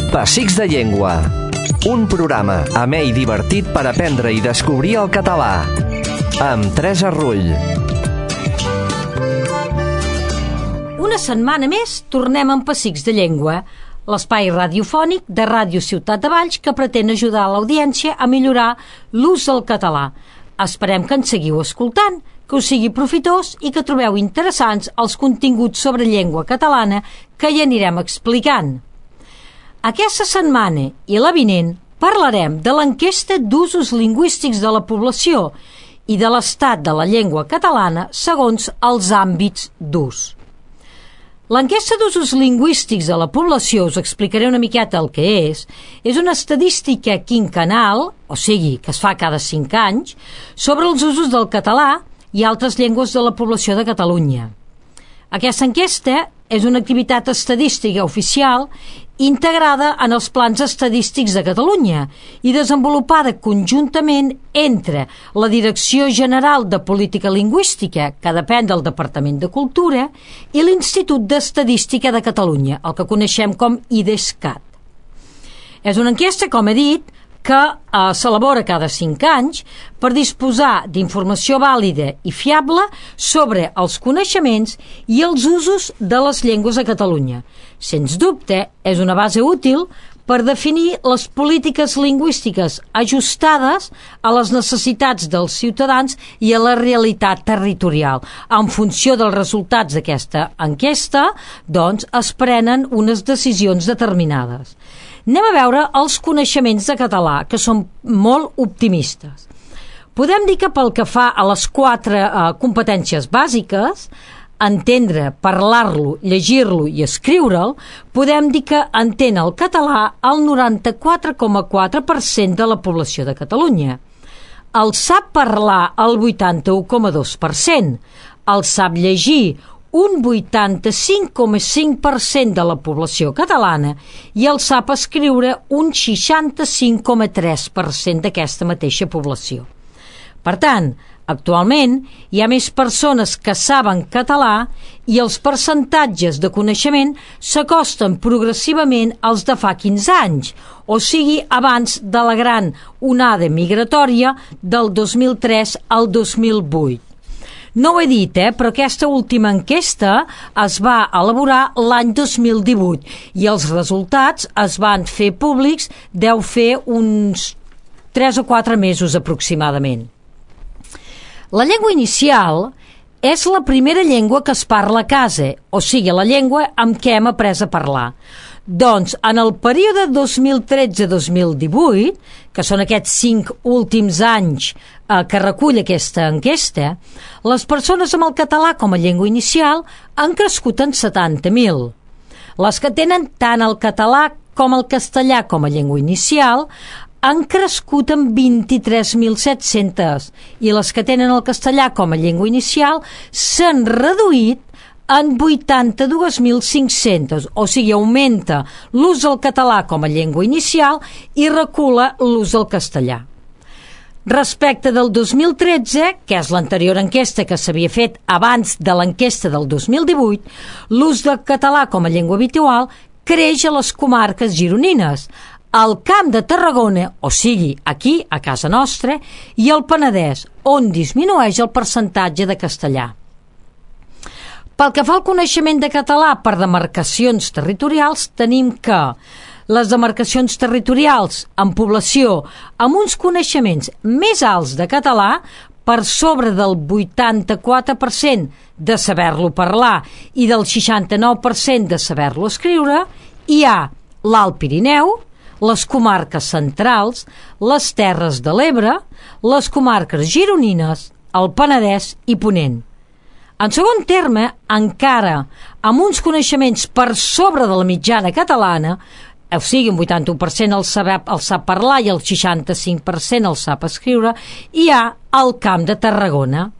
Pessics de Llengua. Un programa amè i divertit per aprendre i descobrir el català. Amb Teresa Rull. Una setmana més tornem amb Pessics de Llengua, l'espai radiofònic de Ràdio Ciutat de Valls que pretén ajudar l'audiència a millorar l'ús del català. Esperem que ens seguiu escoltant, que us sigui profitós i que trobeu interessants els continguts sobre llengua catalana que hi anirem explicant. Aquesta setmana i la vinent parlarem de l'enquesta d'usos lingüístics de la població i de l'estat de la llengua catalana segons els àmbits d'ús. L'enquesta d'usos lingüístics de la població, us explicaré una miqueta el que és una estadística quinquennal, o sigui, que es fa cada 5 anys, sobre els usos del català i altres llengües de la població de Catalunya. Aquesta enquesta és una activitat estadística oficial integrada en els plans estadístics de Catalunya i desenvolupada conjuntament entre la Direcció General de Política Lingüística, que depèn del Departament de Cultura, i l'Institut d'Estadística de Catalunya, el que coneixem com IDESCAT. És una enquesta, com he dit, que s'elabora cada 5 anys per disposar d'informació vàlida i fiable sobre els coneixements i els usos de les llengües a Catalunya. Sens dubte, és una base útil per definir les polítiques lingüístiques ajustades a les necessitats dels ciutadans i a la realitat territorial. En funció dels resultats d'aquesta enquesta, doncs, es prenen unes decisions determinades. Anem a veure els coneixements de català, que són molt optimistes. Podem dir que pel que fa a les 4 competències bàsiques, entendre, parlar-lo, llegir-lo i escriure'l, podem dir que entén el català el 94,4% de la població de Catalunya. El sap parlar el 81,2%, el sap llegir un 85,5% de la població catalana i el sap escriure un 65,3% d'aquesta mateixa població. Per tant, actualment hi ha més persones que saben català i els percentatges de coneixement s'acosten progressivament als de fa 15 anys, o sigui, abans de la gran onada migratòria del 2003 al 2008. No ho he dit, però aquesta última enquesta es va elaborar l'any 2018 i els resultats es van fer públics, deu fer uns 3 o 4 mesos aproximadament. La llengua inicial és la primera llengua que es parla a casa, o sigui, la llengua amb què hem après a parlar. Doncs, en el període 2013-2018, que són aquests 5 últims anys que recull aquesta enquesta, les persones amb el català com a llengua inicial han crescut en 70.000. Les que tenen tant el català com el castellà com a llengua inicial han crescut en 23.700 i les que tenen el castellà com a llengua inicial s'han reduït en 82.500, o sigui, augmenta l'ús del català com a llengua inicial i recula l'ús del castellà. Respecte del 2013, que és l'anterior enquesta que s'havia fet abans de l'enquesta del 2018, l'ús del català com a llengua habitual creix a les comarques gironines, al Camp de Tarragona, o sigui, aquí, a casa nostra, i al Penedès, on disminueix el percentatge de castellà. Pel que fa al coneixement de català per demarcacions territorials, tenim que les demarcacions territorials en població amb uns coneixements més alts de català, per sobre del 84% de saber-lo parlar i del 69% de saber-lo escriure, hi ha l'Alt Pirineu, les comarques centrals, les Terres de l'Ebre, les comarques gironines, el Penedès i Ponent. En segon terme, encara amb uns coneixements per sobre de la mitjana catalana, o sigui, un 81% el sap parlar i el 65% el sap escriure, hi ha el Camp de Tarragona.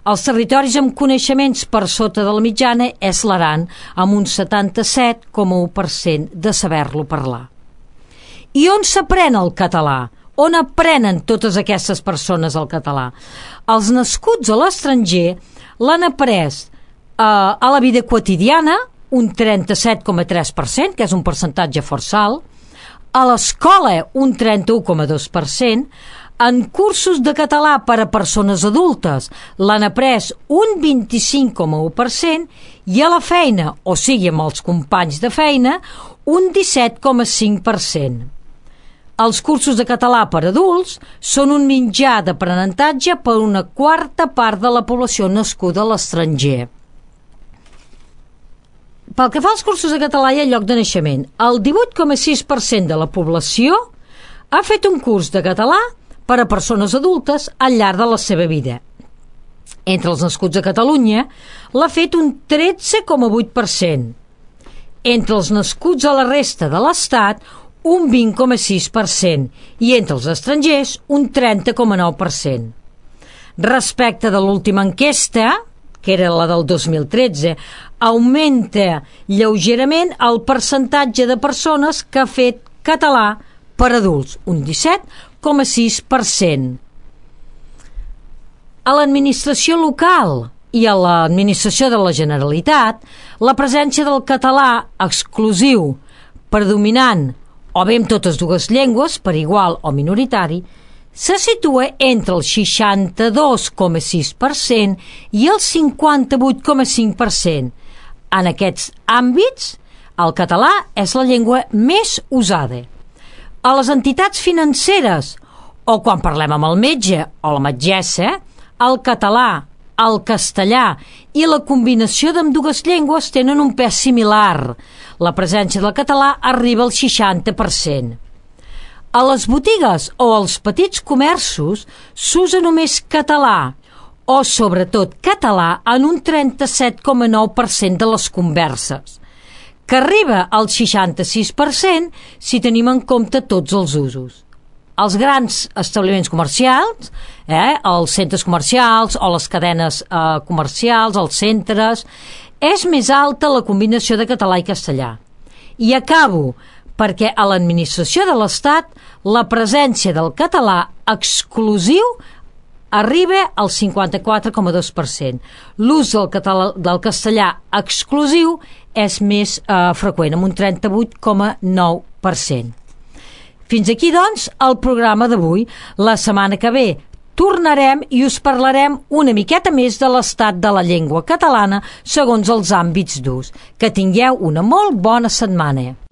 Els territoris amb coneixements per sota de la mitjana és l'Aran, amb un 77,1% de saber-lo parlar. I on s'aprèn el català? On aprenen totes aquestes persones el català? Els nascuts a l'estranger l'han après a la vida quotidiana, un 37,3%, que és un percentatge força alt, a l'escola un 31,2%, en cursos de català per a persones adultes l'han après un 25,1% i a la feina, o sigui amb els companys de feina, un 17,5%. Els cursos de català per a adults són un mitjà d'aprenentatge per una quarta part de la població nascuda a l'estranger. Pel que fa als cursos de català i al lloc de naixement, el 18,6% de la població ha fet un curs de català per a persones adultes al llarg de la seva vida. Entre els nascuts a Catalunya l'ha fet un 13,8%. Entre els nascuts a la resta de l'Estat, un 20,6%, i entre els estrangers, un 30,9%. Respecte de l'última enquesta, que era la del 2013, augmenta lleugerament el percentatge de persones que ha fet català per adults, un 17,6%. A l'administració local i a l'administració de la Generalitat, la presència del català exclusiu, predominant, o bé amb totes dues llengües, per igual o minoritari, se situa entre el 62,6% i el 58,5%. En aquests àmbits, el català és la llengua més usada. A les entitats financeres, o quan parlem amb el metge o la metgessa, el català, el castellà i la combinació d'ambdues llengües tenen un pes similar. La presència del català arriba al 60%. A les botigues o als petits comerços s'usa només català o, sobretot, català en un 37,9% de les converses, que arriba al 66% si tenim en compte tots els usos. Els grans establiments comercials, els centres comercials o les cadenes comercials, els centres, és més alta la combinació de català i castellà. I acabo, perquè a l'administració de l'Estat la presència del català exclusiu arriba al 54,2%. L'ús del castellà exclusiu és més freqüent, amb un 38,9%. Fins aquí, doncs, el programa d'avui. La setmana que ve tornarem i us parlarem una miqueta més de l'estat de la llengua catalana segons els àmbits d'ús. Que tingueu una molt bona setmana.